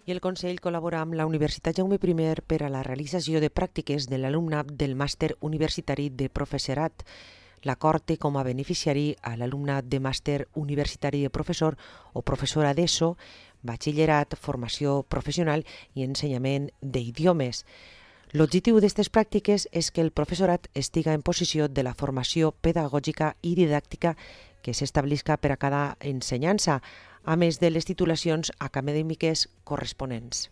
I el Consell col·labora amb la Universitat Jaume I per a la realització de pràctiques de l'alumnat del màster universitari de professorat. L'acord té com a beneficiari a l'alumnat de màster universitari de professor o professora d'ESO, batxillerat, formació professional i ensenyament d'idiomes. L'objectiu d'aquestes pràctiques és que el professorat estiga en possessió de la formació pedagògica i didàctica que s'establisca per a cada ensenyança, a més de les titulacions acadèmiques corresponents.